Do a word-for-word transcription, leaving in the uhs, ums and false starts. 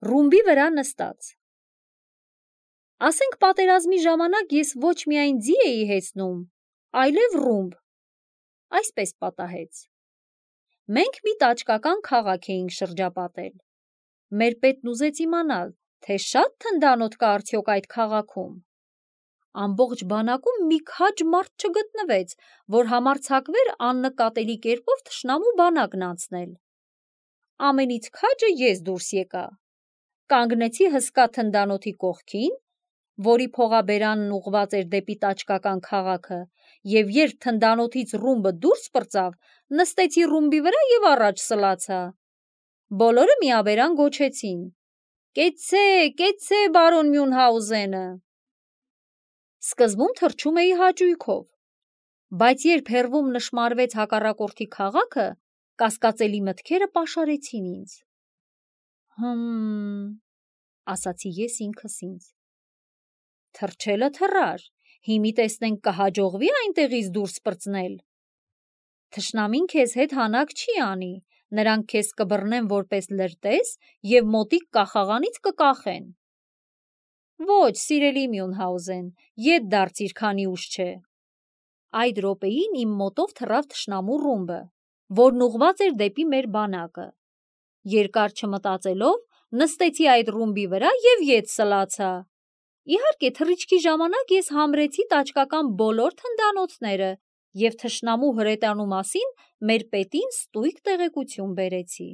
Ռումբի վրա նստած։ Ասենք պատերազմի ժամանակ ես ոչ միայն ձի էի հեծնում, այլև ռումբ, այսպես պատահեց։ Մենք մի տաճկական քաղաք էինք շրջապատել։ Մեր պետն ուզեց իմանալ, թե շատ թնդանոթ կա արդյոք այդ քաղաքում։ Ամբողջ բանակում մի քաջ մարդ չգտնվեց, որ համարձակվեր աննկատելի կերպով թշնամու բանակն անցնել։ Ամենից քաջը ես դուրս եկա։ Կանգնեցի հսկա թնդանոթի կողքին, որի փողաբերանն ուղղված էր դեպի տաճկական քաղաքը, եւ երբ թնդանոթից ռումբը դուրս պրծավ, նստեցի ռումբի վրա եւ առաջ սլացա։ Բոլորը միաբերան գոչեցին. «Կեցցե, կեցցե, բարոն Մյունհաուզենը»։ Սկզբում թռչում էի հաճույքով, բայց երբ հեռվում նշմարվեց հակառակորդի քաղաքը, կասկածելի մտքերը պաշարեցին ինձ։ Հմ, ասացի ես ինքս ինձ։ Թռչելը թռար, հիմի տեսնենք կհաջողվի այնտեղից դուրս պրծնել։ Թշնամին քեզ հետ հանակ չի անի, նրանք քեզ կբռնեն որպես լրտես եւ մոտիկ կախաղանից կկախեն։ Ոչ, սիրելի Մյունհաուզեն, ետ դարձիր, քանի ուշ չէ։ Այդ րոպեին իմ մոտով թռավ թշնամու ռումբը, որն ուղղված էր դեպի մեր բանակը։ Երկար չմտածելով, նստեցի այդ ռումբի վրա եւ ետ սլացա։ Իհարկե, թռիչքի ժամանակ ես համրեցի տաճկական բոլոր թնդանոթները եւ թշնամու հրետանու մասին մեր պետին ստույգ տեղեկություն բերեցի։